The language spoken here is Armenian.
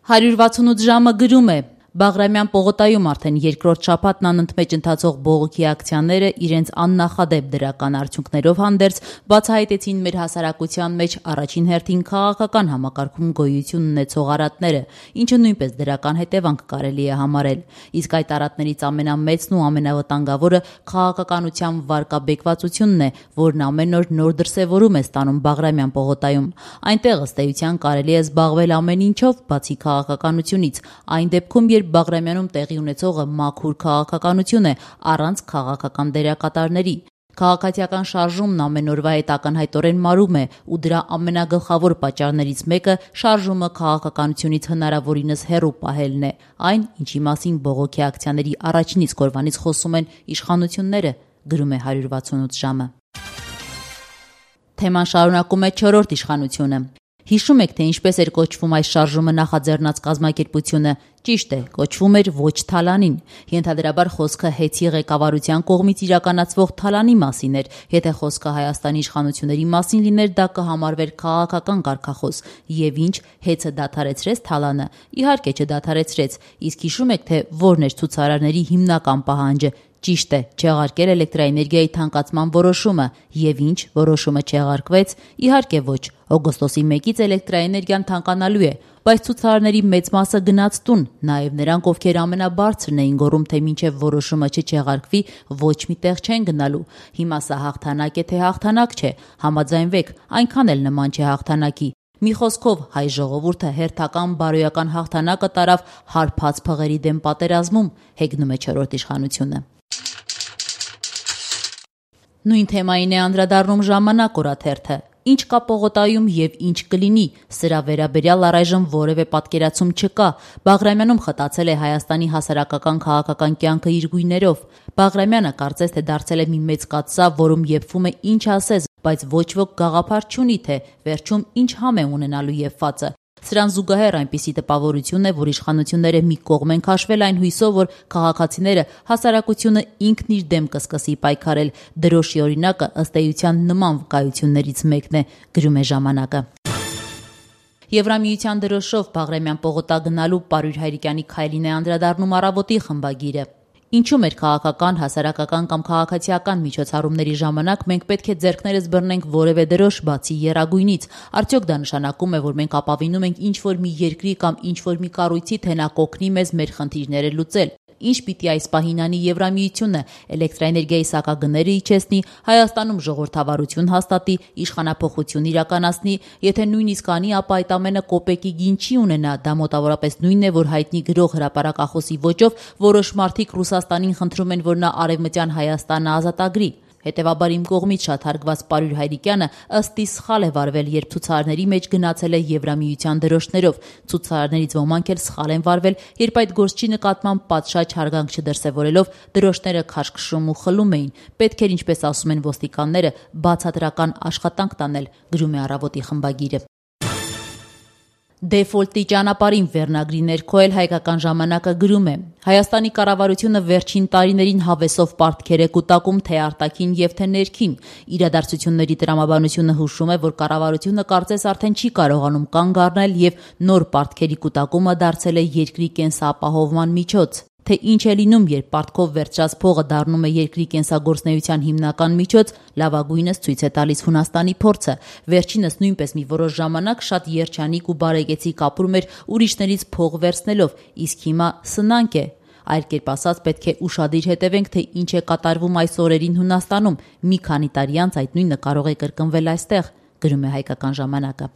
168 ժամը գրում է. Բաղրամյան պողոտայում արդեն երկրորդ շաբաթն անընդմեջ ընթացող բողոքի ակցիաները իրենց աննախադեպ դրական արդյունքներով հանդերձ բացահայտեցին մեր հասարակության մեջ առաջին հերթին քաղաքական համակարգում գոյություն ունեցող արատները, ինչը նույնպես դրական հետևանք կարելի է համարել։ Իսկ այդ արատներից ամենամեծն ու ամենավտանգավորը քաղաքականության վարկաբեկվածությունն է, որն ամեն օր նոր դրսևորում է ստանում Բաղրամյան պողոտայում։ Այնտեղ ըստ էության կարելի է զբաղվել ամեն ինչով, բացի քաղաքականությունից, այն դեպքում, երբ Բաղրամյանում տեղի ունեցողը մաքուր քաղաքականություն է, առանց քաղաքական դերակատարների։ Քաղաքացիական շարժումն ամեն օրվա հետ ակնհայտորեն մարում է, ու դրա ամենագլխավոր պատճառներից մեկը շարժումը քաղաքականությունից հնարավորինս հեռու պահելն է, այն, ինչի մասին բողոքի ակցիաների առաջին իսկ օրվանից խոսում են իշխանությունները, գրում է 168 ժամը։ Թեման շարունակում է չորրորդ իշխանությունը։ Հիշում եք, թե ինչպես էր կոչվում այս շարժումը նախաձեռնած կազմակերպությունը։ Ճիշտ է, կոչվում էր ոչ Թալանին։ Ենթադրաբար խոսքը հեծի ղեկավարության կողմից իրականացվող Թալանի մասին էր։ Եթե խոսքը Հայաստանի իշխանությունների մասին լիներ, դա կհամարվեր քաղաքական կարգախոս։ Եվ ինչ, հեծը դադարեցրեց Թալանը։ Իհարկե չդադարեցրեց։ Իսկ հիշում եք, թե որն էր ցուցարարների հիմնական պահանջը։ Ճիշտ է, չեղարկել էլեկտրաէներգիայի թանկացման որոշումը։ Եվ ինչ, որոշումը չեղարկվեց։ Իհարկե ոչ։ Օգոստոսի 1-ից էլեկտրաէներգիան թանկանալու է, բայց ցուցարարների մեծ մասը գնաց տուն, նաև նրանք, ովքեր ամենաբարձրն էին գոռում, թե մինչև որոշումը չչեղարկվի, ոչ մի տեղ չեն գնալու։ Հիմա սա հաղթանակ է, թե հաղթանակ չէ։ Համաձայնվեք, այնքան էլ նման չէ հաղթանակի։ Մի խոսքով, հայ ժողովուրդը հերթական բարոյական հաղթանակը տարավ հարբած փղերի դեմ պատերազմում, հեգնում է չորրորդ իշխանությունը։ Նույն թեմային է անդրադառնում Ժամանակ օրաթերթը։ Ինչ կա պողոտայում եւ ինչ կլինի, սրա վերաբերյալ առայժմ որևէ պատկերացում չկա։ Բաղրամյանում խտացել է Հայաստանի հասարակական քաղաքական կյանքը իր գույներով։ Բաղրամյանը կարծես թե դարձել է մի մեծ կաթսա, որում եփվում է ինչ ասես, բայց ոչ ոք գաղափար չունի, թե վերջում ինչ համ է ունենալու եփվածը։ Սրան զուգահեռ այնպիսի տպավորություն է, որ իշխանությունները մի կողմ են քաշվել այն հույսով, որ քաղաքացիները հասարակությունը ինքն իր դեմ կսկսի պայքարել։ Դրոշի օրինակը ըստ էության նման վկայություններից մեկն է, գրում է Ժամանակը։ Եվրամիության դրոշով Բաղրամյան պողոտա գնալու Պարույր Հայրիկյանի քայլին է անդրադառնում Առավոտի խմբագիրը։ Ինչու մեր քաղաքական, հասարակական կամ քաղաքացիական միջոցառումների ժամանակ մենք պետք է ձեռքներս բռնենք որևէ դրոշ բացի եռագույնից։ Արդյոք դա նշանակում է, որ մենք ապավինում ենք ինչ-որ մի երկրի կամ ինչ-որ մի կառույցի, թե նա կօգնի մեզ մեր խնդիրները լուծել։ Ինչ պիտի այս պահին անի Եվրամիությունը, էլեկտրաէներգիայի սակագները իջեցնի, Հայաստանում ժողովրդավարություն հաստատի, իշխանափոխություն իրականացնի, եթե նույնիսկ անի, ապա այդ ամենը կոպեկի գին չի ունենա, դա մոտավորապես նույնն է, որ հայտնի գրող հրապարակախոսի ոճով որոշ մարդիկ Ռուսաստանին խնդրում են, որ նա Արևմտյան Հայաստանը ազատագրի։ Հետևաբար իմ կողմից շատ հարգված Պարույր Հայրիկյանը ըստ իս սխալ է վարվել, երբ ցուցարարների մեջ գնացել է Եվրամիության դրոշներով։ Ցուցարարներից ոմանք էլ սխալ են վարվել, երբ այդ գործչի նկատմամբ պատշաճ հարգանք չդրսևորելով դրոշները քաշքշում ու խլում էին։ Պետք էր, ինչպես ասում են ոստիկանները, բացատրական աշխատանք տանել, գրում է Առավոտի խմբագիրը։ Դեֆոլտի ճանապարհին վերնագրի ներքո էլ Հայկական ժամանակը գրում է. Հայաստանի կառավարությունը վերջին տարիներին հավեսով պարտքեր է կուտակում թե արտաքին եւ թե ներքին։ Իրադարձությունների տրամաբանությունը հուշում է, որ կառավարությունը կարծես արդեն չի կարողանում կանգ առնել եւ նոր պարտքերի կուտակումը դարձել է երկրի կենսապահովման միջոց։ Թե ինչ է լինում, երբ պարտքով վերցրած փողը դառնում է երկրի կենսագործնեության հիմնական միջոց, լավագույնս ցույց է տալիս Հունաստանի փորձը։ Վերջինս նույնպես մի որոշ ժամանակ շատ երջանիկ ու բարեկեցիկ ապրում էր ուրիշներից փող վերցնելով, իսկ հիմա սնանկ է։ Այլ կերպ ասած, պետք է ուշադիր հետևենք, թե ինչ է կատարվում այս օրերին Հունաստանում։ Մի քանի տարի անց այդ նույնը կարող է կրկնվել այստեղ, գրում է Հայկական ժամանակը։